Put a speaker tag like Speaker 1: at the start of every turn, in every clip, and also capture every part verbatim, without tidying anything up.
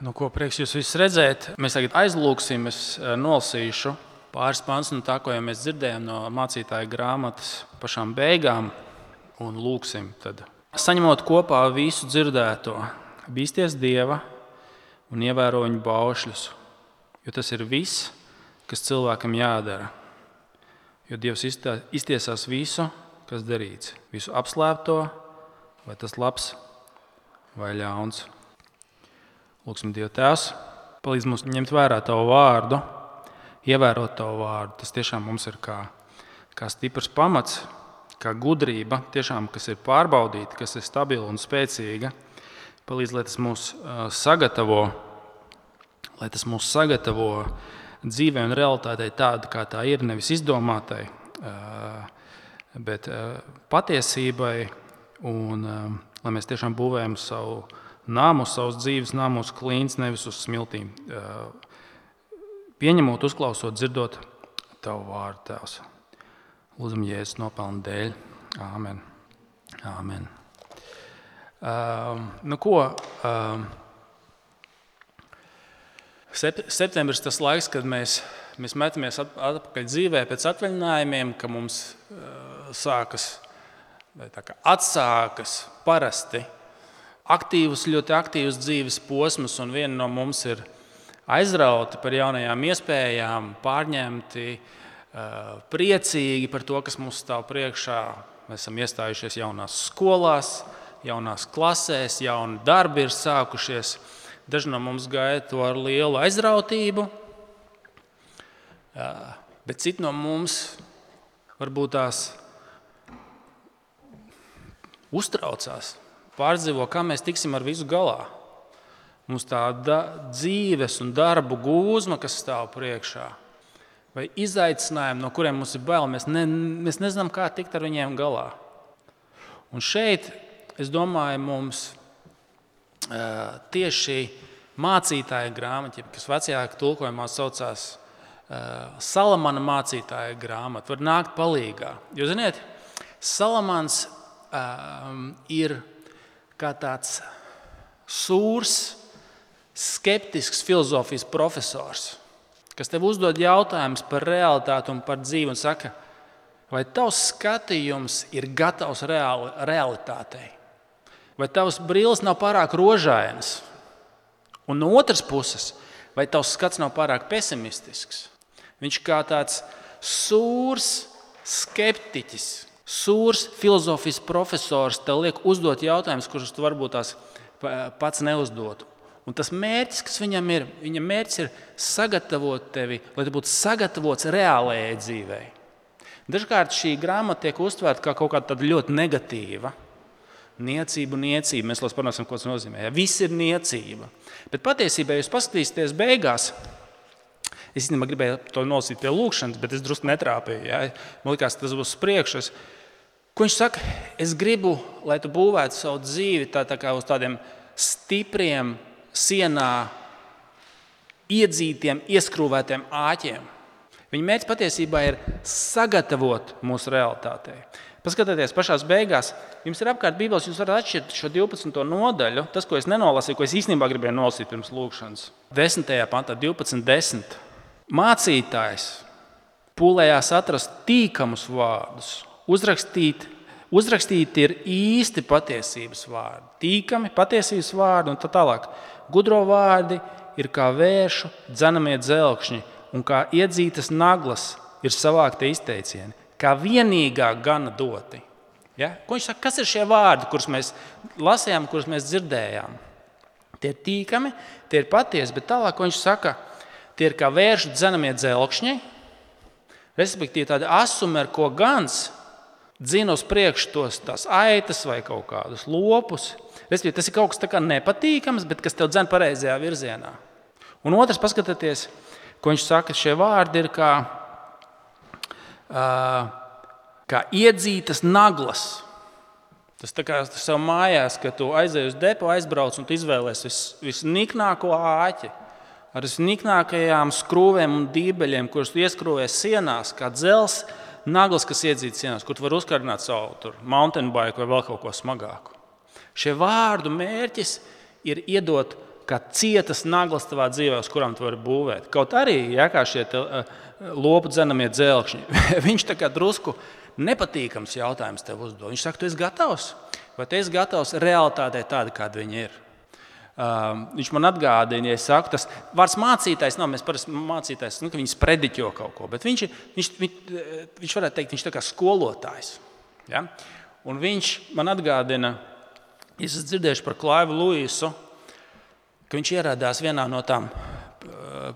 Speaker 1: Nu, ko prieks jūs visus redzēt. Mēs tagad aizlūksim, es nolasīšu pāris pantus no tā, ko jau mēs dzirdējām no mācītāja grāmatas pašām beigām, un lūksim tad. Saņemot kopā visu dzirdēto, bīsties Dieva un ievēro viņu baušļus, jo tas ir viss, kas cilvēkam jādara. Jo Dievs iztiesās visu, kas darīts, visu apslēpto, vai tas labs vai ļauns. Lūksim Dievu Tēvs, palīdz mums ņemt vērā Tavu vārdu, ievērot Tavu vārdu. Tas tiešām mums ir kā, kā stiprs pamats, kā gudrība, tiešām, kas ir pārbaudīta, kas ir stabila un spēcīga. Palīdz, lai tas mūs sagatavo, lai tas mūs sagatavo dzīvē un realitātei tāda, kā tā ir, nevis izdomātai, bet patiesībai, un lai mēs tiešām būvējam savu nāmu, savus dzīves nāmus klīns, nevis uz smiltīm. Pieņemot, uzklausot, dzirdot Tavu vārdu, Tēvs. Lūdzam Jēzus nopelnu dēļ. Āmen. Āmen. Uh, nu ko, uh, sep- septembris tas laiks, kad mēs, mēs metamies atpakaļ dzīvē pēc atvaļinājumiem, ka mums uh, sākas, tā kā atsākas parasti aktīvs, ļoti aktīvs dzīves posms, un viena no mums ir aizrauti par jaunajām iespējām, pārņemti, priecīgi par to, kas mums stāv priekšā. Mēs esam iestājušies jaunās skolās, jaunās klasēs, jauni darbi ir sākušies. Daži no mums gaida to ar lielu aizrautību, bet citi no mums varbūt tās uztraucās. Pārdzīvo, kā mēs tiksim ar visu galā. Mums tā da- dzīves un darbu gūzma, kas stāv priekšā, vai izaicinājumi, no kuriem mums ir bail, mēs, ne, mēs nezinām, kā tikt ar viņiem galā. Un šeit, es domāju, mums uh, tieši mācītāja grāmata, kas vecajā tulkojumā saucās uh, Salamana mācītāja grāmata, var nākt palīgā. Jo, ziniet, Salamans uh, ir kā tāds sūrs, skeptisks filozofijas profesors, kas tev uzdod jautājumus par realitāti un par dzīvi un saka, vai tavs skatījums ir gatavs reali, realitātei, vai tavs brilles nav pārāk rožainas, un no otras puses, vai tavs skats nav pārāk pesimistisks. Viņš kā tāds sūrs skeptiķis, sūrs filozofijas profesors tev liek uzdot jautājumus, kurus tu varbūt tās pats neuzdotu. Un tas mērķis, kas viņam ir, viņa mērķis ir sagatavot tevi, lai tu būtu sagatavots reālajai dzīvei. Dažkārt šī grāmata tiek uztvērta kā kaut kāda ļoti negatīva. Niecība, niecība. Mēs vēl parunāsim, ko tas nozīmē. Ja, viss ir niecība. Bet patiesībā, ja jūs paskatīsieties beigās, es īstenībā gribēju to nolasīt pie lūkšanas, bet es drusku netrāpīju. Ja. Man likās, tas būs priekšas. Ko viņš saka? Es gribu, lai tu būvētu savu dzīvi tā, tā kā uz tādiem stipriem, sienā iedzītiem, ieskrūvētiem āķiem. Viņa mērķis patiesībā ir sagatavot mūsu realitātei. Paskatieties, pašās beigās, jums ir apkārt Bībeles, jūs varat atšķirt šo divpadsmito nodaļu, tas, ko es nenolasīju, ko es īstenībā gribēju nolasīt pirms lūkšanas. desmitajā pantā, divpadsmit desmit. Mācītājs pūlējās atrast tīkamus vārdus, uzrakstīt, uzrakstīt ir īsti patiesības vārdi, tīkami patiesības vārdi un tā tālāk. Gudro vārdi ir kā vēršu dzenamie dzelkšņi un kā iedzītas naglas ir savākti izteicieni, kā vienīgā gana doti. Ja? Ko viņš saka, kas ir šie vārdi, kurus mēs lasījām, kurus mēs dzirdējām? Tie ir tīkami, tie ir patiesi, bet tālāk, ko viņš saka, tie ir kā vēršu dzenamie dzelkšņi, respektīvi tādi asumi, ar ko gans dzina uz priekšu tos tās aitas vai kaut kādus lopus. Respektīvi, tas ir kaut kas tā kā nepatīkams, bet kas tev dzen pareizajā virzienā. Un otrs, paskatieties, ko viņš saka, šie vārdi ir kā, uh, kā iedzītas naglas. Tas tā kā sev mājās, ka tu aizej uz depo, aizbrauc un tu izvēlies vis, visniknāko āķi ar visniknākajām skrūvēm un dībeļiem, kurus tu ieskrūvēs sienās, kā dzels naglas, kas iedzītas sienās, kur tu vari uzkardināt savu tur, mountain bike vai vēl kaut ko smagāku. Šie vārdu mērķis ir iedot kā cietas naglas tavā dzīvē, uz kurām tu vari būvēt. Kaut arī, ja, kā šie te, uh, lopu dzenamie dzelkšņi, viņš tā kā drusku nepatīkams jautājums tev uzdod. Viņš saka, tu esi gatavs? Vai tu esi gatavs realitātei tāda, kāda viņa ir? Uh, viņš man atgādina, ja es saku, tas vārds mācītājs, nav, mēs parasti mācītājs, nu, ka viņš prediķo kaut ko, bet viņš, viņš, viņš, viņš varētu teikt, viņš tā kā skolotājs. Ja? Un viņš man atgādina, es esmu dzirdējuši par Klaivu Luisu, ka viņš ieradās vienā no tām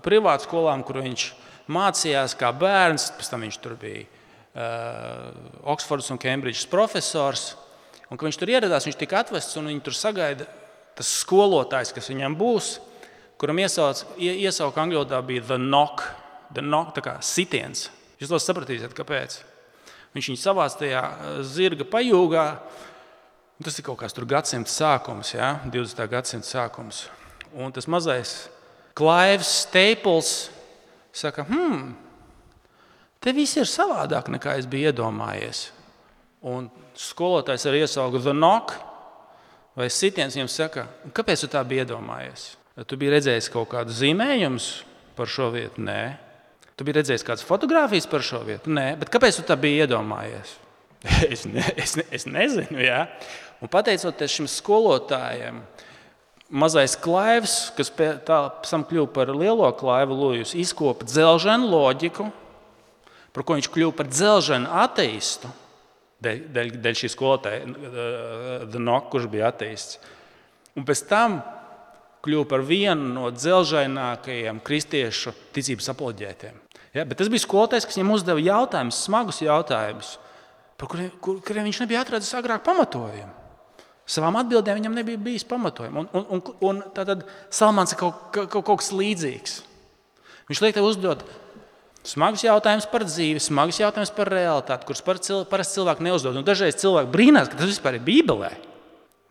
Speaker 1: privātskolām, kur viņš mācījās kā bērns, pēc tam viņš tur bija uh, Oksfordas un Kembridžas profesors, un ka viņš tur ieradās, viņš tika atvests un viņi tur sagaida tas skolotājs, kas viņam būs, kuram iesauc, iesauka angļu valodā bija the knock, the knock, tā kā sitiens. Jūs to sapratīsiet, kāpēc. Viņš viņu savāc tajā zirga pajūgā, un tas ir kaut kāds tur gadsimta sākums, ja? divdesmitā gadsimta sākums. Un tas mazais Klaivs Staples saka, hmm, te viss ir savādāk, nekā es biju iedomājies. Un skolotājs arī iesauka the knock, vai sitiens viņam saka, kāpēc tu tā biji iedomājies? Tu biji redzējis kaut kādu zīmējumus par šo vietu? Nē. Tu biji redzējis kādas fotogrāfijas par šo vietu? Nē. Bet kāpēc tu tā biji iedomājies? es, ne, es, ne, es nezinu, jā. Un pateicoties šim skolotājiem, mazais Klaivs, kas tā sam kļuva par lielo Klaivu Luisu, izkopa dzelženu loģiku, par ko viņš kļuva par dzelženu ateistu, Dēļ, dēļ, dēļ šī skolotāja, The Knock, kurš bija ateists. Un pēc tam kļuva par vienu no dzelžainākajiem kristiešu ticības apoloģētiem. Ja, bet tas bija skolotājs, kas viņam uzdeva jautājumus, smagus jautājumus, par kuriem, kur, kuriem viņš nebija atradis agrāk pamatojumu. Savām atbildēm viņam nebija bijis pamatojumu. Un, un, un, un tātad Salmans ir kaut, kaut, kaut kas līdzīgs. Viņš liek tev uzdot smagus jautājumus par dzīvi, smagus jautājumus par realitāti, kurus parasti cilvēki neuzdod. Un dažreiz cilvēki brīnās, ka tas vispār ir Bībelē.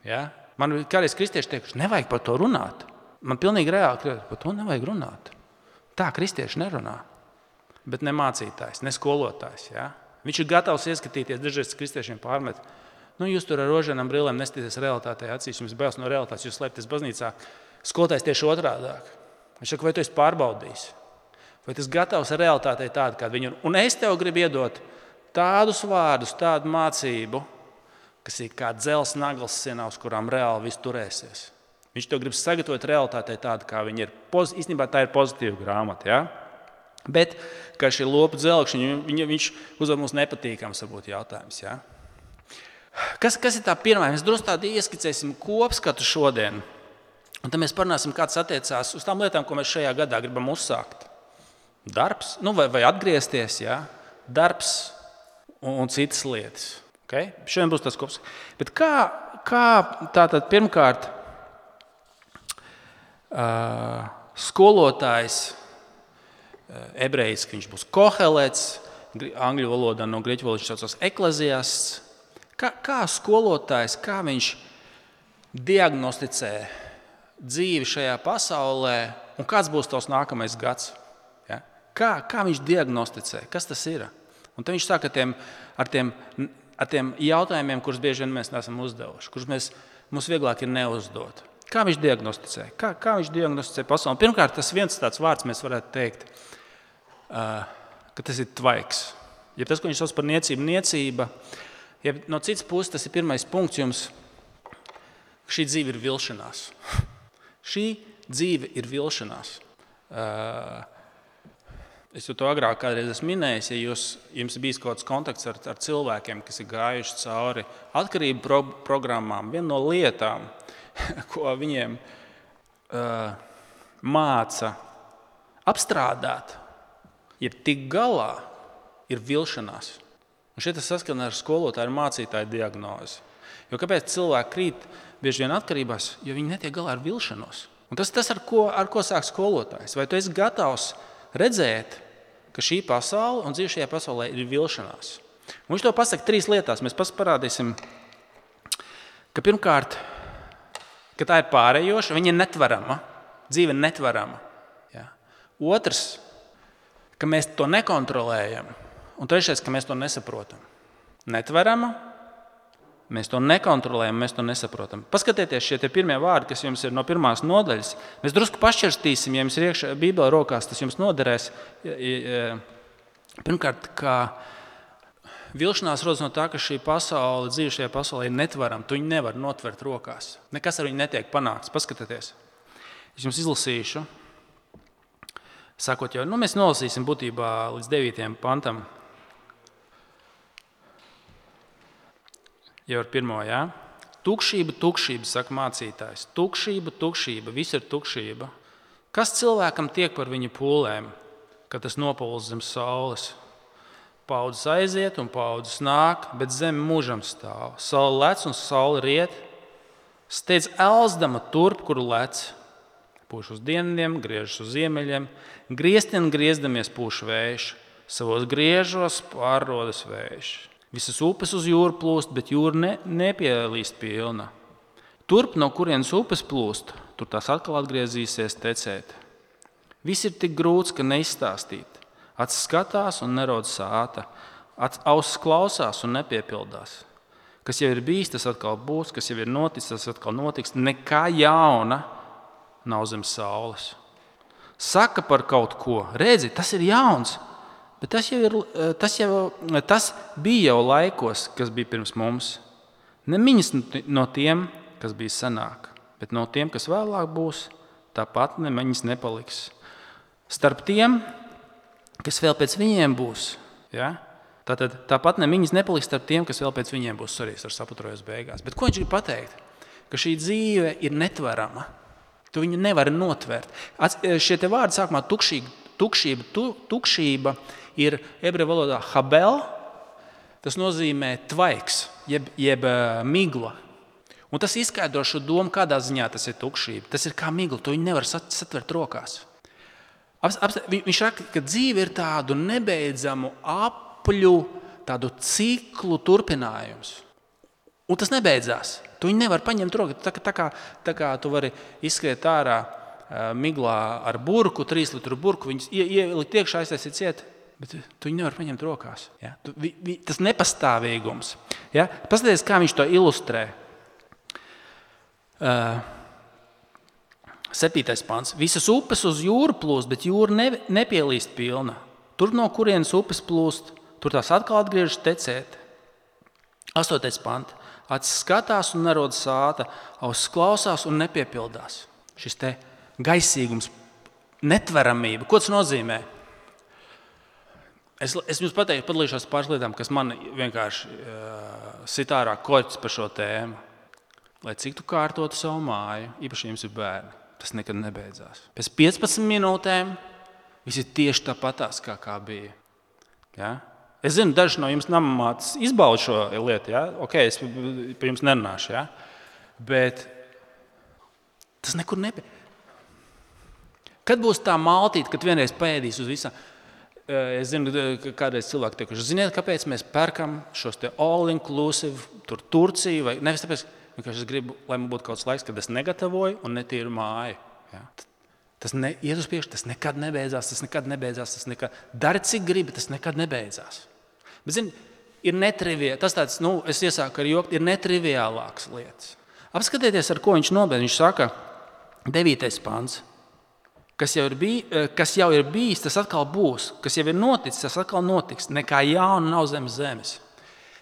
Speaker 1: Ja? Man kādreiz kristieši teikuši, nevajag par to runāt. Man pilnīgi reāli par to nevajag runāt. Tā kristieši nerunā. Bet ne mācītājs, ne skolotājs. Ja? Viņš ir gatavs ieskatīties, dažreiz kristiešiem pārmet. Nu, jūs tur ar rožanām brillēm nestīties realitātei acīs, jums bailes no realitātes, jūs slēpties baznīcā. Skolotājs tieši otrādāk. Viņš saka, vai tu esi pārbaudījis? Vai tas gatavs ar realitātei tādu, kāda viņa ir? Un es tev gribu iedot tādus vārdus, tādu mācību, kas ir kā dzels naglas sienā, uz kurām reāli viss turēsies. Viņš tev grib sagatavot realitātei tādu, kā viņa ir. Poz, īstenībā tā ir pozitīva grāmata, ja? Bet, kā šī lopu dzelkšņi, viņš uzdod mums nepatīkams varbūt jautājums, ja? Kas, kas ir tā pirmā? Mēs drusku tādu ieskicēsim kopskatu šodien. Un tad mēs parunāsim, kāds attiecās uz tām lietām, ko mēs šajā gadā gribam uzsākt. Darbs, nu vai, vai atgriezties, ja? Darbs un, un citas lietas. Okay? Šodien būs tas kops. Bet kā, kā tātad pirmkārt uh, skolotājs, uh, ebrejs, viņš būs Kohelets, angļu valodā no grieķu valodas viņš saucās ekleziasts. Kā, kā skolotājs, kā viņš diagnosticē dzīvi šajā pasaulē un kāds būs tavs nākamais gads? Kā, kā viņš diagnosticē? Kas tas ir? Un tad viņš sāk ar tiem, ar tiem, ar tiem jautājumiem, kurus bieži vien mēs neesam uzdevuši, kurus mēs, mums vieglāk ir neuzdot. Kā viņš diagnosticē? Kā, kā viņš diagnosticē pasauli? Pirmkārt, tas viens tāds vārds mēs varētu teikt, uh, ka tas ir tvaiks. Ja tas, ko viņš sauc par niecību, niecība, ja no citas puses tas ir pirmais punkts jums, šī dzīve ir vilšanās. Šī dzīve ir vilšanās. Uh, Es jau to agrāk kādreiz esmu minējis, ja jūs, jums ir bijis kaut kāds kontakts ar, ar cilvēkiem, kas ir gājuši cauri atkarību pro, programmām, viena no lietām, ko viņiem uh, māca apstrādāt, jeb tik galā, ir vilšanās. Un šeit tas saskana ar skolotāju un mācītāju diagnozi. Jo kāpēc cilvēki krīt bieži vien atkarībās, jo viņi netiek galā ar vilšanos. Un tas ir tas, ar ko, ar ko sāk skolotājs. Vai tu esi gatavs redzēt, ka šī pasaule un dzīve šajā pasaulē ir vilšanās. Un viņš to pasaka trīs lietās. Mēs parādīsim, ka pirmkārt, ka tā ir pārējoša, viņa ir netverama, dzīve ir netverama. Ja? Otrs, ka mēs to nekontrolējam. Un trešais, ka mēs to nesaprotam. Netverama, Mēs to nekontrolējam, mēs to nesaprotam. Paskatieties, šie tie pirmie vārdi, kas jums ir no pirmās nodaļas. Mēs drusku pašķirstīsim, ja jums ir iekšā Bībele rokās, tas jums noderēs. Pirmkārt, kā vilšanās rodas no tā, ka šī pasaule, dzīve šajā pasaulē ir netverama. Tu viņu nevar notvert rokās. Nekas ar viņu netiek panākts. Paskatieties. Es jums izlasīšu. Sakot jau, nu mēs nolasīsim būtībā līdz devītajam pantam. Jau ar pirmo, jā? Tukšība, tukšība, saka mācītājs. Tukšība, tukšība, viss ir tukšība. Kas cilvēkam tiek par viņa pūlēm, kad tas nopūlas zem saules? Paudzes aiziet un paudzes nāk, bet zeme mūžam stāv. Saule lec un saule riet. Steidz elzdama turp, kuru lec. Pūš uz dienvidiem, griežas uz ziemeļiem. Grieztien griezdamies pūš vējš. Savos griežos pārrodas vējš. Visas upes uz jūru plūst, bet jūra ne, nepielīst pilna. Turp, no kurienes upes plūst, tur tās atkal atgriezīsies tecēt. Viss ir tik grūts, ka neizstāstīt. Acis skatās un nerod sāta. Ausis klausās un nepiepildās. Kas jau ir bijis, tas atkal būs. Kas jau ir noticis, tas atkal notiks. Nekā jauna nav zem saules. Saka par kaut ko. Redzi, tas ir jauns. Bet tas, jau ir, tas, jau, tas bija jau laikos, kas bija pirms mums. Nemiņas no tiem, kas bija senāk, bet no tiem, kas vēlāk būs, tāpat nemiņas nepaliks. Starp tiem, kas vēl pēc viņiem būs, ja? Tātad, tāpat nemiņas nepaliks starp tiem, kas vēl pēc viņiem būs. Sorry, es ar saputrojos beigās. Bet ko viņš grib pateikt? Ka šī dzīve ir netverama. Tu viņu nevari notvert. Šie te vārdi sākumā tukšība, tukšība, tu, tukšība ir ebreju valodā habel, tas nozīmē tvaiks, jeb, jeb migla. Un tas izskaidro šo domu, kādā ziņā tas ir tukšība. Tas ir kā migla, to viņi nevar satvert rokās. Viņš saka, ka dzīve ir tādu nebeidzamu apļu, tādu ciklu turpinājums. Un tas nebeidzās. Tu viņu nevar paņemt rokā. Tā, tā, kā, tā kā tu vari izskriet ārā miglā ar burku, trīs litru burku, viņus ielikt iekšā, aiztaisīt ciet. Bet tu viņu nevar paņemt rokās. Ja? Tu, vi, vi, tas nepastāvīgums. Ja? Paskaties, kā viņš to ilustrē. Uh, septītais pants. Visas upes uz jūru plūst, bet jūra ne, nepielīst pilna. Tur, no kurienes upes plūst, tur tās atkal atgriežas tecēt. Astotais pants. Acis skatās un nerod sāta, ausis klausās un nepiepildās. Šis te gaisīgums, netveramība. Ko tas nozīmē? Es, es jums pateiktu, padalīšos pāris lietām, kas man vienkārši uh, sit ārā koķis par šo tēmu. Lai cik tu kārtotu savu māju, īpaši jums ir bērni, tas nekad nebeidzās. Pēc piecpadsmit minūtēm viss ir tieši tāpatās, kā, kā bija. Ja? Es zinu, daži no jums namamātes izbauda šo lietu. Ja? Ok, es par jums nerunāšu. Ja? Bet tas nekur nebija. Kad būs tā maltīte, kad vienreiz paēdīs uz visām? Es zinu, ka kādreiz cilvēki teikuši, ziniet, kāpēc mēs perkam šos te all-inclusive, tur Turciju, vai nevis tāpēc, vienkārši es gribu, lai man būtu kaut kāds laiks, kad es negatavoju un netīru māju. Ja? Tas ne, iet uz priekšu, tas nekad nebeidzās, tas nekad nebeidzās, tas nekad, dari cik gribi, tas nekad nebeidzās. Bet, zini, ir netriviāli, tas tāds, nu, es iesāku ar joku, ir netriviālākas lietas. Apskatieties, ar ko viņš nobeidz. Viņš saka, devītais pants. Kas jau, ir bij, kas jau ir bijis, tas atkal būs. Kas jau ir noticis, tas atkal notiks. Nekā jauna nav zem zemes.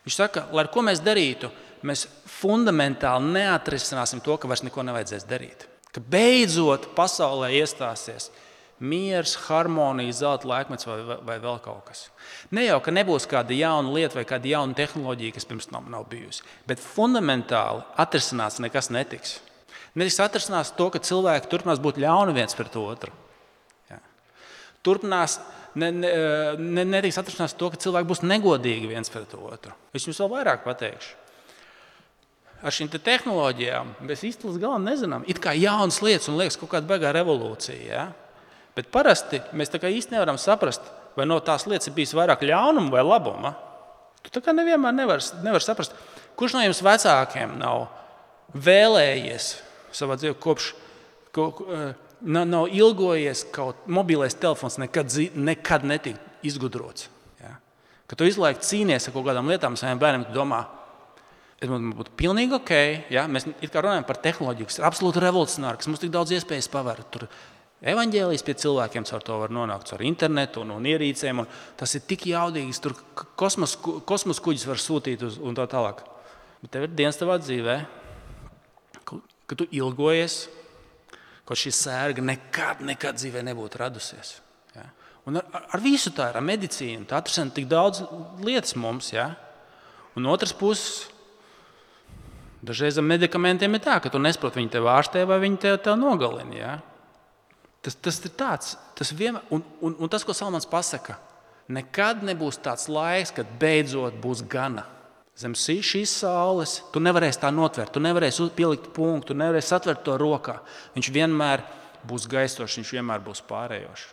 Speaker 1: Viņš saka, lai ar ko mēs darītu, mēs fundamentāli neatrisināsim to, ka vairs neko nevajadzēs darīt. Ka beidzot pasaulē iestāsies miers, harmonija, zelta laikmets vai, vai, vai vēl kaut kas. Ne jau, ka nebūs kāda jauna lieta vai kāda jauna tehnoloģija, kas pirms tam nav bijusi, bet fundamentāli atrisināts nekas netiks. Netiks atrisinās to, ka cilvēki turpinās būt ļauni viens pret otru. Ja. Turpinās, ne, ne, ne, netiks atrisinās to, ka cilvēki būs negodīgi viens pret otru. Es jums vēl vairāk pateikšu. Ar šīm te tehnoloģijām mēs īsti līdz galam nezinām. It kā jaunas lietas un liekas kaut kāda baigā revolūcija. Ja? Bet parasti mēs tā kā īsti nevaram saprast, vai no tās lietas ir bijis vairāk ļaunuma vai labuma. Tu tā kā nevienmēr nevar, nevar saprast. Kurš no jums vecākiem nav vēlējies savā dzīvē kopš, ko, nav, nav ilgojies kaut mobilais telefons nekad, nekad netika izgudrots. Ja? Kad tu izlaik cīnies ar kaut kādām lietām saviem bērniem, tu domā, Es man būtu pilnīgi ok, ja? Mēs it kā runājam par tehnoloģiju, kas ir absolūti revolucionāri, kas mums tik daudz iespējas paver. Tur evaņģēlijs pie cilvēkiem caur to var nonākt, caur internetu un, un ierīcēm. Un tas ir tik jaudīgs, tur kosmos, kosmos kuģis var sūtīt uz, un tā tālāk. Bet tev ir dienas tavā dzīvē, ka tu ilgojies, ka šī sērga nekad, nekad dzīvē nebūtu radusies. Ja? Un ar, ar visu tā ir, ar medicīnu, tā atrasina tik daudz lietas mums. Ja? Un otrs puses, dažreiz ar medikamentiem ir tā, ka tu nesaproti, viņi tev ārstē vai viņi tev, tev nogalina. Ja? Tas, tas ir tāds, tas vienmēr, un, un, un tas, ko Salmans pasaka, nekad nebūs tāds laiks, kad beidzot būs gana. Zem šīs saules tu nevarēsi tā notvert, tu nevarēsi pielikt punktu, tu nevarēsi atvert to rokā. Viņš vienmēr būs gaistošs, viņš vienmēr būs pārējošs.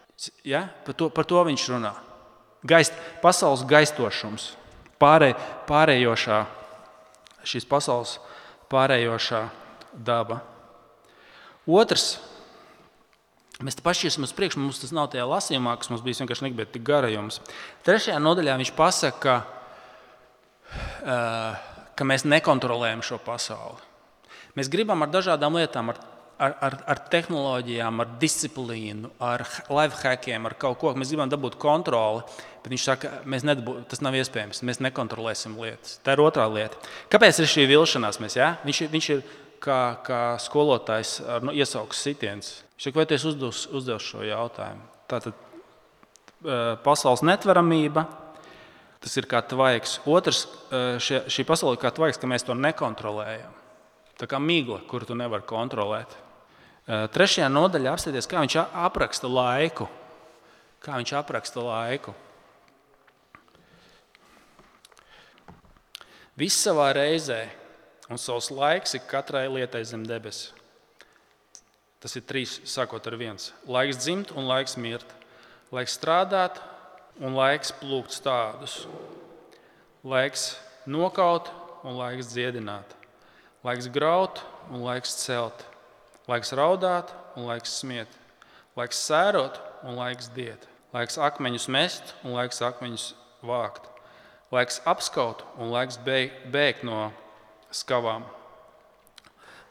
Speaker 1: Ja? Par, to, par to viņš runā. Gaist, pasaules gaistošums, pārē, pārējošā, šīs pasaules pārējošā daba. Otrs, mēs te pašķirsim uz priekšu, mums tas nav tajā lasījumā, kas mums bija vienkārši negribēt tik garajums. Trešajā nodaļā viņš pasaka, ka, ka mēs nekontrolējam šo pasauli. Mēs gribam ar dažādām lietām, ar, ar, ar, ar tehnoloģijām, ar disciplīnu, ar life hackiem, ar kaut ko, mēs gribam dabūt kontroli, bet viņš saka, mēs nedabū, tas nav iespējams, mēs nekontrolēsim lietas. Tā ir otrā lieta. Kāpēc ir šī vilšanās? Mēs, ja? viņš, viņš ir kā, kā skolotājs ar nu, iesaukas sitiens. Viņš saka, vai tu esi uzdevis, uzdevis šo jautājumu? Tātad pasaules netveramība, tas ir kā tvaiks. Otrs, šie, šī pasaule ir kā tvaiks, ka mēs to nekontrolējam. Tā kā migla, kuru tu nevari kontrolēt. Trešajā nodaļā apstāties, kā viņš apraksta laiku. Kā viņš apraksta laiku. Viss savā reizē, un savs laiks ir katrai lietai zem debesis. Tas ir trīs, sākot ar viens. Laiks dzimt un laiks mirt. Laiks strādāt un laiks plūkt stādus. Laiks nokaut un laiks dziedināt. Laiks graut un laiks celt. Laiks raudāt un laiks smiet. Laiks sērot un laiks diet. Laiks akmeņus mest un laiks akmeņus vākt. Laiks apskaut un laiks bēgt no skavām.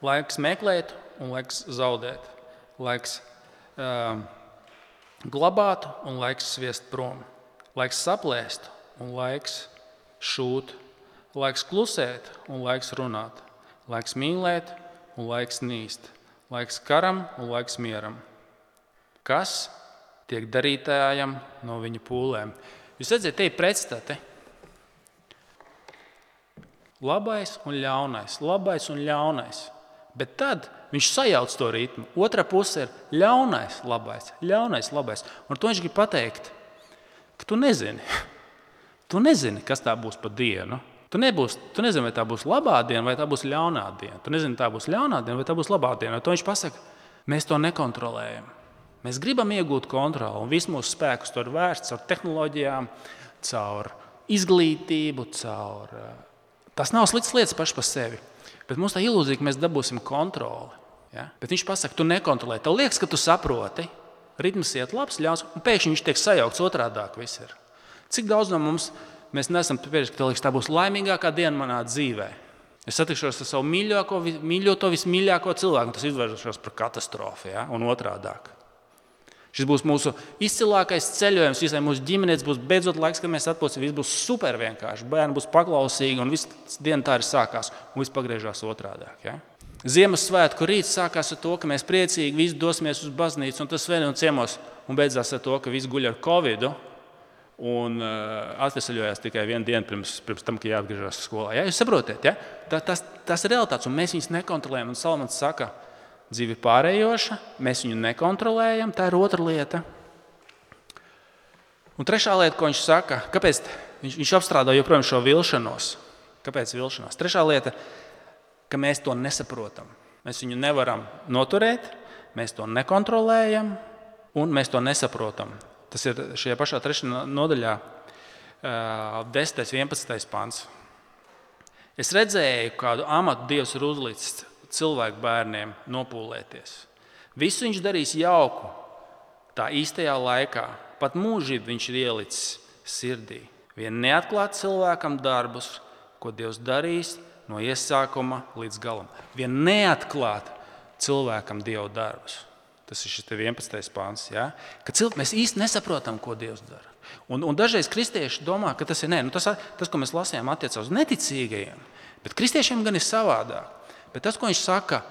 Speaker 1: Laiks meklēt un laiks zaudēt. Laiks um, glabāt un laiks sviest prom. Laiks saplēst un laiks šūt. Laiks klusēt un laiks runāt. Laiks mīlēt un laiks nīst. Laiks karam un laiks mieram. Kas tiek darītājam no viņa pūlēm? Jūs redzat, te ir pretstati. Labais un ļaunais. Labais un ļaunais. Bet tad viņš sajauc to ritmu. Otra puse ir ļaunais, labais, ļaunais, labais. Un to viņš grib pateikt, ka tu nezini. Tu nezini, kas tā būs pa dienu. Tu, nebūs, tu nezini, vai tā būs labā diena, vai tā būs ļaunā diena. Tu nezini, tā būs ļaunā diena, vai tā būs labā diena. Un to viņš pasaka, mēs to nekontrolējam. Mēs gribam iegūt kontroli, un viss mūsu spēkus tur vērsts caur tehnoloģijām, caur izglītību, caur... Tas nav sliktas lietas paši par sevi. Bet mums tā ilūzija, ka mēs dabūsim kontroli. Ja? Bet viņš pasaka, tu nekontrolē. Tev liekas, ka tu saproti, ritms iet labs, ļauns, un pēkšņi viņš tiek sajaukts otrādāk viss ir. Cik daudz no mums mēs nesam pieši, ka tev liekas, tā būs laimīgākā diena manā dzīvē. Es satikšos ar savu mīļāko, mīļoto, vismīļāko cilvēku, un tas izvēršos par katastrofu, ja? Un otrādāk. Šis būs mūsu izcilākais ceļojums, visai mūsu ģimenēs būs beidzot laiks, kad mēs atpūsim, viss būs super vienkārši, bērni būs paklausīgi un viss diena tā arī sākās un viss pagriežās otrādāk. Ja? Ziemassvētku rīts sākās ar to, ka mēs priecīgi visi dosimies uz baznīcu un tas svētdien ciemos un beidzās ar to, ka visi guļ ar covidu un uh, atvesaļojās tikai vienu dienu pirms, pirms tam, ka jāatgriežas skolā. Ja? Jūs saprotiet, ja? tā, tas, tas ir realitāts un mēs viņus nekontrolējam un Salmans saka, dzīve ir pārējoša, mēs viņu nekontrolējam, tā ir otra lieta. Un trešā lieta, ko viņš saka, kāpēc viņš, viņš apstrādā joprojām šo vilšanos. Kāpēc vilšanās? Trešā lieta, ka mēs to nesaprotam. Mēs viņu nevaram noturēt, mēs to nekontrolējam un mēs to nesaprotam. Tas ir šajā pašā trešajā nodaļā, desmitais, vienpadsmitais pants. Es redzēju, kādu amatu Dievs ir uzlicis cilvēku bērniem nopūlēties. Visu viņš darīs jauku, tā īstajā laikā. Pat mūžību viņš ir ielicis sirdī. Vien neatklāt cilvēkam darbus, ko Dievs darīs no iesākuma līdz galam. Vien neatklāt cilvēkam Dieva darbus. Tas ir šis vienpadsmitais pāns. Ja? Ka cilvē, mēs īsti nesaprotam, ko Dievs dara. Un, un dažreiz kristieši domā, ka tas ir nē, nu tas, tas, ko mēs lasījām, attiecās uz neticīgajiem. Bet kristiešiem gan ir savādāk. Bet tas, ko viņš saka,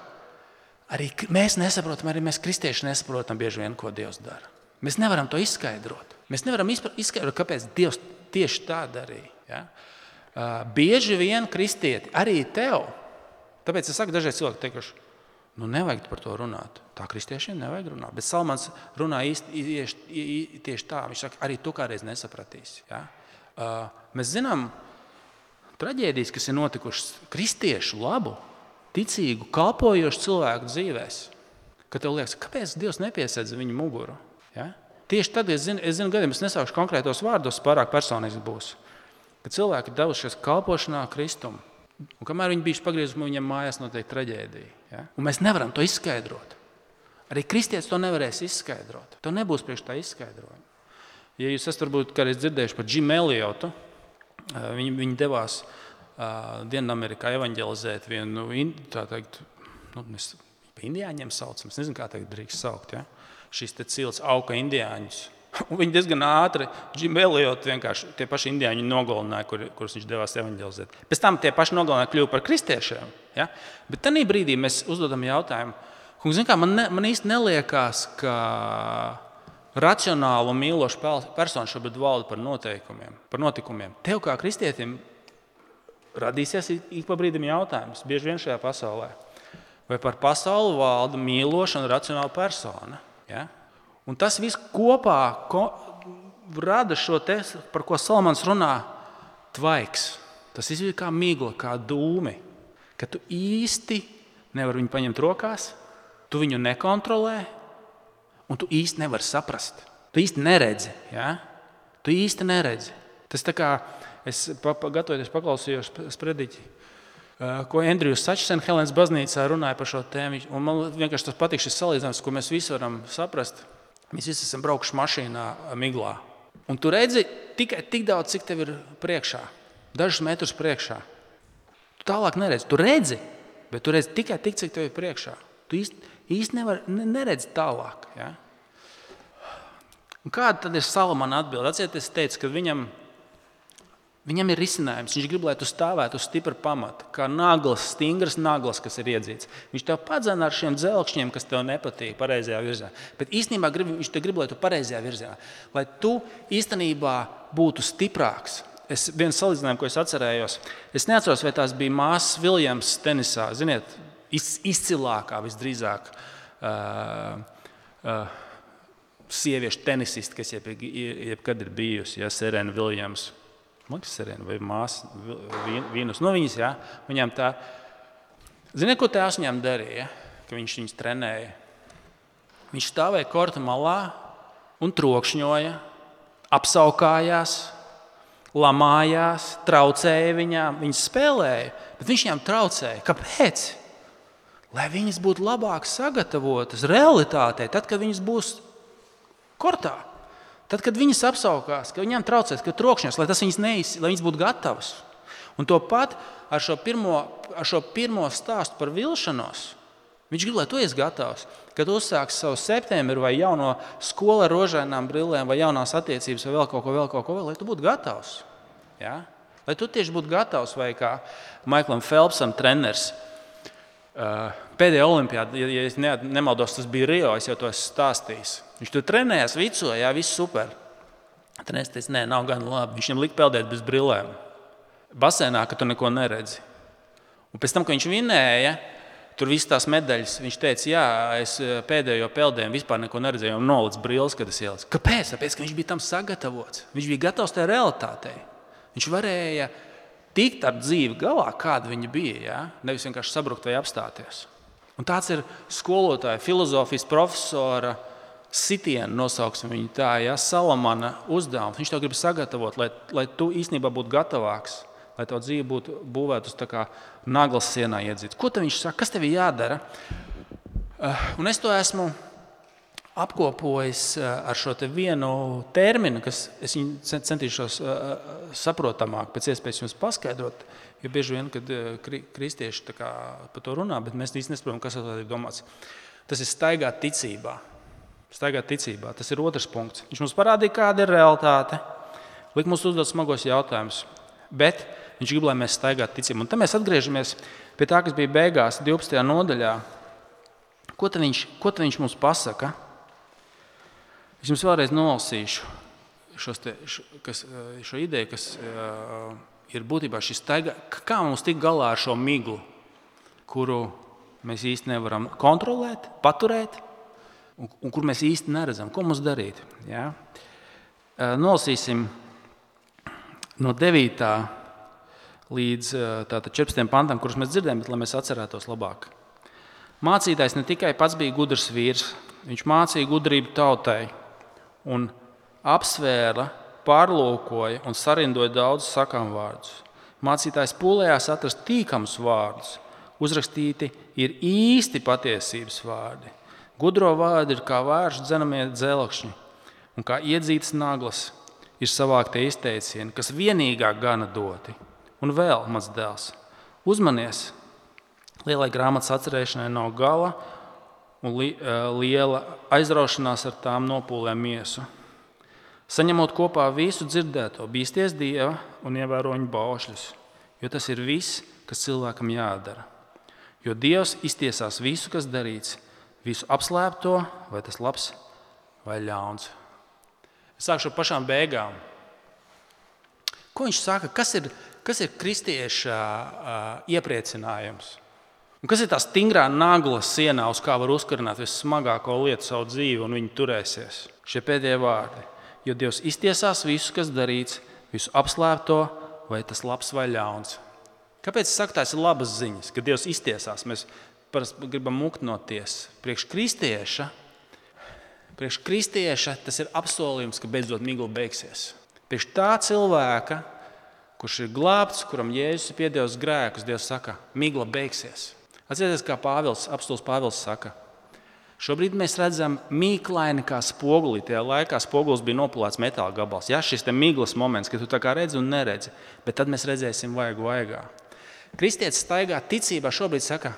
Speaker 1: arī mēs nesaprotam, arī mēs kristieši nesaprotam bieži vien, ko Dievs dara. Mēs nevaram to izskaidrot. Mēs nevaram izskaidrot, kāpēc Dievs tieši tā darīja. Ja? Uh, bieži vien kristieti, arī tev, tāpēc es saku dažreiz cilvēki teikuši, nu nevajag par to runāt. Tā kristiešiem nevajag runāt. Bet Salmans runā īsti, īsti, tieši tā. Viņš saka, arī tu kādreiz nesapratīsi. Ja? Uh, mēs zinām traģēdijas, kas ir notikušas kristiešu labu, ticīgu, kalpojošu cilvēku dzīvēs. Kad tev liekas, kāpēc Dievs nepiesedz viņu muguru? Ja? Tieši tad, es zinu, es zinu gadiem, es nesākšu konkrētos vārdos, pārāk personīgs būs. Kad cilvēki ir devušies kalpošanā Kristum, un kamēr viņi bijuši pagriezuši, viņam mājās notiek traģēdija. Ja? Un mēs nevaram to izskaidrot. Arī kristietis to nevarēs izskaidrot. To nebūs priekš tā izskaidrojuma. Ja jūs esat varbūt kādreiz dzirdējuši par Jimu Elliotu, viņi, viņi devās uh, Dienamerikā evaņģelizēt vienu, tā teikt, nu, mēs pa indiāņiem saucam, es nezinu, kā teikt drīkst saukt, ja? Šis te cilts auka indiāņus. Un viņi diezgan ātri, Jimu Elliotu vienkārši tie paši indiāņi nogalināja, kur, kurus viņš devās evaņģelizēt. Pēc tam tie paši nogalināja kļuva par kristiešiem. Ja? Bet tajā brīdī mēs uzdodam jautājumu, un, zin kā, man, ne, man īsti neliekās, ka racionālu un mīlošu personu šobrīd valda par noteikumiem, par notikumiem. Tev kā kristietim radīsies ik pa brīdim jautājums, bieži vien šajā pasaulē, vai par pasauli valda mīloša un racionāla persona. Ja? Un tas viss kopā ko, rada šo te, par ko Salmans runā, tvaiks. Tas viss ir kā migla, kā dūmi, ka tu īsti nevari viņu paņemt rokās, tu viņu nekontrolē, un tu īsti nevari saprast. Tu īsti neredzi. Ja? Tu īsti neredzi. Tas tā kā es pa, pa, gatavoties paklausījos sprediķi, ko Andrejs Sačsen Helēnas baznīcā runāja par šo tēmu. Un man vienkārši tas patīk šis salīdzinājums, ko mēs visi varam saprast. Mēs visi esam braukuši mašīnā miglā. Un tu redzi tikai tik daudz, cik tev ir priekšā. Dažus metrus priekšā. Tu tālāk neredzi. Tu redzi, bet tu redzi tikai tik, cik tev ir priekšā. Tu īsti, īsti nevar, neredzi tālāk. Ja? Un kāda tad ir Salamana atbilde? Atcerieties, es teicu, ka viņam, viņam ir risinājums. Viņš grib, lai tu stāvētu uz stipra pamata, kā naglas, stingras naglas, kas ir iedzīts. Viņš tev padzena ar šiem dzelkšņiem, kas tev nepatīk pareizajā virzienā. Bet īstenībā grib, viņš te grib, lai tu pareizajā virzienā. Lai tu īstenībā būtu stiprāks. Es viens salīdzinājumu, ko es atcerējos, es neatceros, vai tās bija māsas Viljams tenisā. Ziniet, izcilākā visdrīzāk uh, uh, sieviešu tenisisti, kas jeb, jebkad ir bijusi, ja, Serena Viljams. Man ir Serena vai māsa Vīnus. No viņas, jā, viņām tā. Ziniet, ko tēvs viņām darīja, ka viņš viņus trenēja? Viņš stāvēja korta malā un trokšņoja, apsaukājās, lamājās, traucēja viņām. Viņas spēlēja, bet viņš viņām traucēja. Kāpēc? Lai viņas būtu labāk sagatavotas realitātei, tad, kad viņas būs kortā. Tad, kad viņas apsaukās, ka viņām traucēs, ka trokšņos, lai tas viņas neiz, lai viņas būtu gatavas. Un to pat ar šo pirmo, ar šo pirmo stāstu par vilšanos, viņš grib, lai tu esi gatavs. Kad uzsāks savu septembri vai jauno skolu ar rožainām brillēm vai jaunās attiecības vai vēl kaut ko, vēl kaut ko, vēl, lai tu būtu gatavs. Ja? Lai tu tieši būtu gatavs vai kā Maiklam Phelpsam treneris. Pēdējā olimpiāda, ja es nemaldos, tas bija Rio, es jau to esmu stāstījis. Viņš tur trenējās, vicoja, jā, viss super. Trenējās teica, nē, nav gan labi. Viņš viņam lika peldēt bez brillēm. Basēnā, ka tu neko neredzi. Un pēc tam, kad viņš vinēja, tur viss tās medaļas, viņš teica, jā, es pēdējo peldējumu vispār neko neredzēju un nolic brilles, kad es ielicu. Kāpēc? Tāpēc, ka viņš bija tam sagatavots. Viņš bija gatavs tajā realitātei. Viņš varēja tikt ar dzīvi galā, kāda viņa bija, ja? Nevis vienkārši sabrukt vai apstāties. Un tāds ir skolotāja, filozofijas profesora sitiena, nosauksim viņu tā, ja? Salamana uzdevums. Viņš tev grib sagatavot, lai, lai tu īstenībā būtu gatavāks, lai tev dzīve būtu būvēt uz tā kā naglas sienā iedzīts. Ko tev viņš saka? Kas tev jādara? Uh, un es to esmu apkopojis ar šo te vienu terminu, kas es viņu centīšos saprotamāk pēc iespējas jums paskaidrot, jo bieži vien, kad kristieši tā kā par to runā, bet mēs īsti nesaprotam, kas ar to ir domāts. Tas ir staigāt ticībā. Staigāt ticībā. Tas ir otrs punkts. Viņš mums parādīja, kāda ir realitāte, liek mums uzdot smagos jautājumus, bet viņš grib, lai mēs staigātu ticībā. Un tad mēs atgriežamies pie tā, kas bija beigās divpadsmitajā nodaļā. Ko tad viņš, ko tad viņš mums pasaka? Es jums vēlreiz nolasīšu šos te, šo, kas, šo ideju, kas uh, ir būtībā šis staigā. Kā mums tik galā ar šo miglu, kuru mēs īsti nevaram kontrolēt, paturēt, un, un kur mēs īsti neredzam, ko mums darīt. Ja? Uh, nolasīsim no devītā līdz uh, četrpadsmitajam pantam, kurus mēs dzirdējam, bet lai mēs atcerētos labāk. Mācītājs ne tikai pats bija gudrs vīrs, viņš mācīja gudrību tautai un apsvēra, pārlūkoja un sarindoja daudzus sakām vārdus. Mācītājs pūlējās atrast tīkamus vārdus, uzrakstīti ir īsti patiesības vārdi. Gudro vārdi ir kā vēršu dzenamie dzelkšņi, un kā iedzītas naglas ir savāktie izteicieni, kas vienīgā gana doti. Un vēl, mans dēls, uzmanies! Lielai grāmatas atcerēšanai nav gala, un li, liela aizraušanās ar tām nopūlē miesu. Saņemot kopā visu dzirdēto, bīsties Dieva un ievēro viņa baušļus, jo tas ir viss, kas cilvēkam jādara. Jo Dievs iztiesās visu, kas darīts, visu apslēpto, vai tas labs vai ļauns. Es sākšu ar pašām beigām. Ko viņš saka? Kas ir, kas ir kristieša uh, iepriecinājums? Un kas ir tā stingrā nagla sienā, uz kā var uzkarināt vissmagāko lietu savu dzīvi, un viņi turēsies? Šie pēdējie vārdi. Jo Dievs iztiesās visu, kas darīts, visu apslēpto, vai tas labs vai ļauns. Kāpēc es saku, tās ir labas ziņas, ka Dievs iztiesās? Mēs parasti gribam mukt no tiesas. Priekš kristieša, priekš kristieša tas ir apsolījums, ka beidzot migla beigsies. Priekš tā cilvēka, kurš ir glābts, kuram Jēzus ir piedevis grēkus, Dievs saka, migla beigsies. Atcerieties, kā Pāvils, apostols Pāvils saka, šobrīd mēs redzam mīklaini kā spoguli. Tajā laikā spogulis bija nopulēts metāla gabals. Ja, šis te miglas moments, kad tu tā kā redzi un neredzi, bet tad mēs redzēsim vaigu vaigā. Kristietis staigā ticībā šobrīd saka,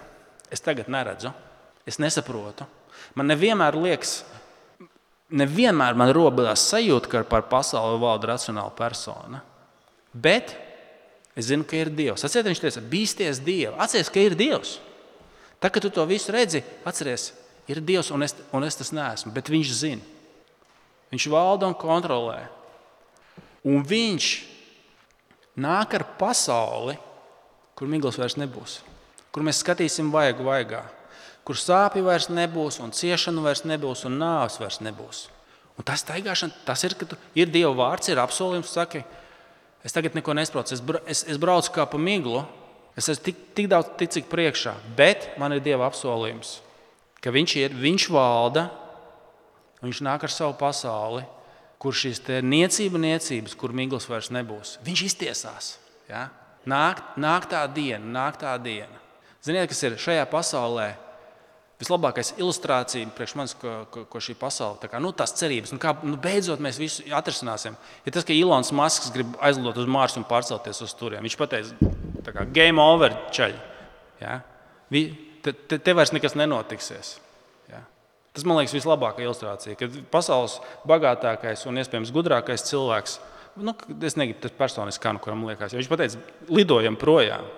Speaker 1: es tagad neredzu, es nesaprotu. Man nevienmēr liekas, nevienmēr man robadās sajūta, ka par pasauli valda racionāla persona. Bet es zinu, ka ir Dievs. Atcerieties, viņš teica, bīsties Dievu. Atcerieties, ka ir Dievs. Tā, kad tu to visu redzi, atceries, ir Dievs, un es, un es tas neesmu, bet viņš zina. Viņš valda un kontrolē. Un viņš nāk ar pasauli, kur miglas vairs nebūs, kur mēs skatīsim vaigu vaigā, kur sāpju vairs nebūs, un ciešanu vairs nebūs, un nāves vairs nebūs. Un tas staigāšana, tas ir, ka tu, ir Dieva vārds, ir apsolījums, saki, es tagad neko nesprocu, es, es, es braucu kā pa miglu, es esmu tik, tik daudz tik, cik priekšā, bet man ir Dieva apsolījums, ka viņš ir, viņš valda, viņš nāk ar savu pasauli, kur šīs te niecība niecības, kur miglas vairs nebūs. Viņš iztiesās. Ja? Nāk, nāk tā diena, nāk tā diena. Ziniet, kas ir šajā pasaulē vislabākais ilustrācija priekš manis, ko, ko, ko šī pasaule, tā kā, nu, tās cerības, nu, kā, nu, beidzot mēs visu atrisināsim. Ir tas, ka Ilons Masks grib aizlidot uz Marsu un pārcelties uz turiem. Viņš pateica, tā kā game over, čaļi. Ja? Vi, te, te, te vairs nekas nenotiksies. Ja? Tas, man liekas, vislabākā ilustrācija, kad pasaules bagātākais un iespējams gudrākais cilvēks, nu, es negribu tas personiski kā, nu, kuram liekas, ja viņš pateica, lidojam projām.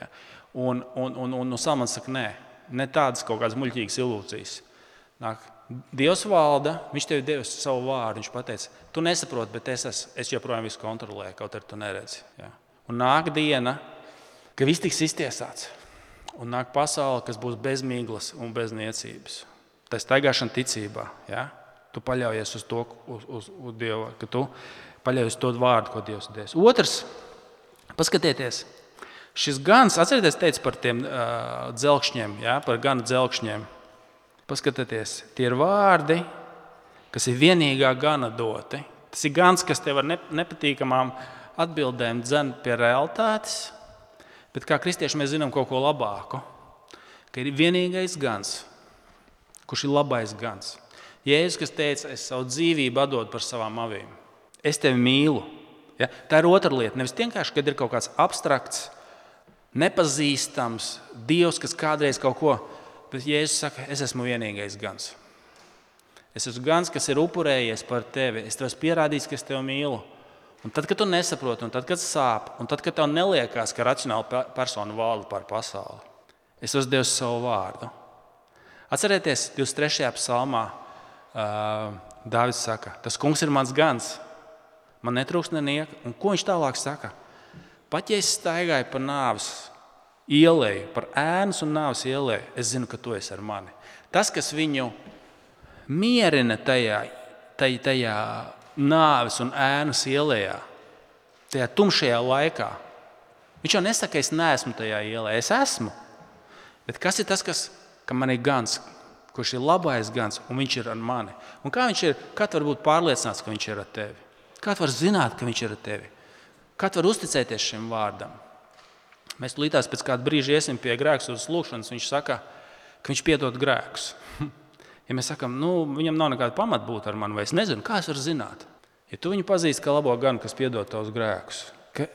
Speaker 1: Ja? Un, un, un, un, un Salmans saka, nē. Ne tādas kaut kādas muļķīgas ilūzijas. Nāk, Dievs valda, viņš tev devis savu vārdu, viņš pateica, tu nesaproti, bet es, es, es joprojām visu kontrolēju, kaut arī tu neredzi. Ja. Un nāk diena, ka viss tiks iztiesāts. Un nāk pasaule, kas būs bez miglas un bez niecības. Tā ir staigāšana ticībā. Ja. Tu paļaujies uz to, uz, uz, uz Dievu, ka tu paļaujies uz to vārdu, ko Dievs devis. Otrs, paskatieties. Šis gans, atcerieties, teica par tiem uh, dzelkšņiem, ja, par gana dzelkšņiem. Paskatieties, tie ir vārdi, kas ir vienīgā gana doti. Tas ir gans, kas tev ar nepatīkamām atbildēm dzen pie realitātes, bet kā kristieši mēs zinām kaut ko labāku, ka ir vienīgais gans, kurš ir labais gans. Jēzus, kas teica, es savu dzīvību atdodu par savām avīm. Es tevi mīlu. Ja? Tā ir otra lieta. Nevis vienkārši, kad ir kaut kāds abstrakts, nepazīstams Dievs, kas kādreiz kaut ko, bet Jēzus saka, es esmu vienīgais gans. Es esmu gans, kas ir upurējies par tevi. Es tev esmu pierādījis, ka es tevi mīlu. Un tad, kad tu nesaproti, un tad, kad sāp, un tad, kad tev neliekās, ka racionāla persona valda pār pasauli, es esmu devis savu vārdu. Atcerieties, divdesmit trešajā psalmā uh, Dāvids saka, tas kungs ir mans gans, man netrūkst nenieka. Un ko viņš tālāk saka? Pat ja es staigāju pa nāves ieleju, par ēnas un nāves ieleju, es zinu, ka tu esi ar mani. Tas, kas viņu mierina tajā, tajā, tajā nāves un ēnas ielējā, tajā tumšajā laikā. Viņš jau nesaka, es neesmu tajā ielē, es esmu. Bet kas ir tas, kas, ka man ir gans, kurš ir labais gans, un viņš ir ar mani? Un kā viņš ir, kā tu var būt pārliecināts, ka viņš ir ar tevi? Kā tu var zināt, ka viņš ir ar tevi? Kā tu var uzticēties šim vārdam? Mēs līdās pēc kāda brīža iesim pie grēksūdzes lūgšanas, viņš saka, ka viņš piedod grēkus. Ja mēs sakām, nu, viņam nav nekāda pamata būt ar mani, vai es nezinu, kā es varu zināt? Ja tu viņu pazīsti kā labo ganu, kas piedod tavus grēkus, ka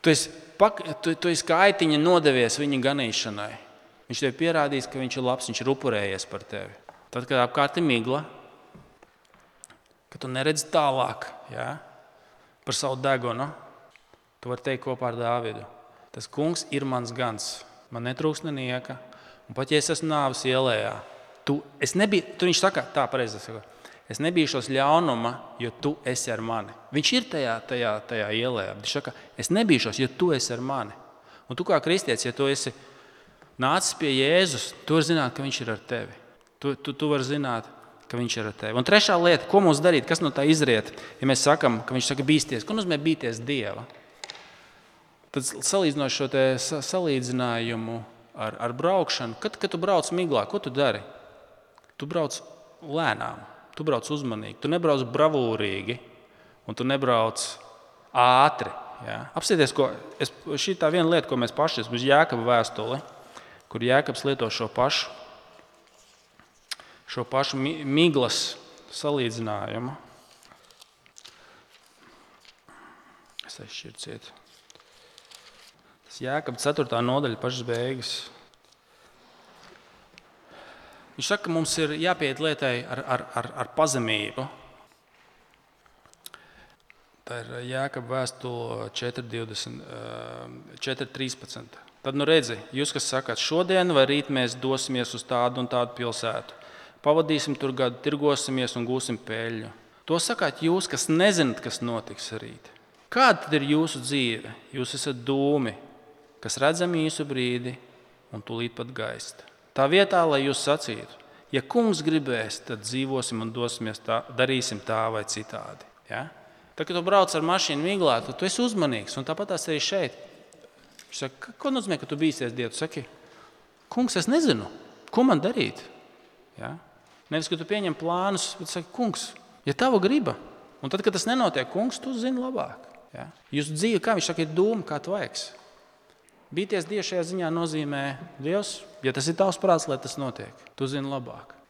Speaker 1: tu esi, pak, tu, tu esi kā aitiņa nodevies viņa ganīšanai, viņš tev pierādīs, ka viņš ir labs, viņš ir upurējies par tevi. Tad, kad apkārt ir migla, ka tu neredzi tālāk, ja, par savu degunu, tu vari teikt kopā ar Dāvidu. Tas kungs ir mans gans, man netrūkst nenieka, un pat ja es esmu nāves ielējā, Tu, es nebiju, tu viņš saka, tā pareizi saka, es nebīšos ļaunuma, jo tu esi ar mani. Viņš ir tajā, tajā, tajā ielējā. Viņš saka, es nebīšos, jo tu esi ar mani. Un tu kā kristietis, ja tu esi nācis pie Jēzus, tu vari zināt, ka viņš ir ar tevi. Tu, tu, tu vari zināt, ka viņš ir ar tevi. Un trešā lieta, ko mums darīt, kas no tā izriet, ja mēs sakam, ka viņš saka bīsties. Ko nozīmē bīties Dieva? Tad salīdzinot šo te salīdzinājumu ar, ar braukšanu, kad, kad tu brauc miglā, ko tu dari? Tu brauc lēnām, tu brauc uzmanīgi, tu nebrauc bravūrīgi un tu nebrauc ātri. Ja? Apsieties, ko es, šī tā viena lieta, ko mēs paši esam uz Jēkaba vēstuli, kur Jēkabs lieto šo pašu, šo pašu miglas salīdzinājumu. Es aizšķirciet. Tas Jēkaba ceturtā nodaļa pašas beigas. Viņš saka, ka mums ir jāpieiet lietai ar, ar, ar, ar pazemību. Tā ir Jēkaba vēstule četri trīspadsmit. Tad nu redzi, jūs, kas sakāt, šodien vai rīt mēs dosimies uz tādu un tādu pilsētu. Pavadīsim tur gadu, tirgosimies un gūsim peļņu. To sakāt jūs, kas nezināt, kas notiks rīt. Kāda tad ir jūsu dzīve? Jūs esat dūmi, kas redzam īsu brīdi un tūlīt pat gaist. Tā vietā, lai jūs sacītu, ja kungs gribēs, tad dzīvosim un dosimies tā, darīsim tā vai citādi. Ja? Tad, kad tu brauc ar mašīnu miglā, tad tu esi uzmanīgs. Un tāpat tās arī šeit. Viņš saka, ko nozīmē, ka tu bīsies Dievu? Tu saki, kungs, es nezinu, ko man darīt. Ja? Nevis, ka tu pieņem plānus, bet saki, kungs, ja tava griba. Un tad, kad tas nenotiek, kungs, tu zini labāk. Ja? Jūsu dzīve, kā viņš saka, ir dūma, kā tu vajag. Bīties Dievu šajā ziņā nozīmē, Dievs, ja tas ir tavs prāts, lai tas notiek, tu zini labāk.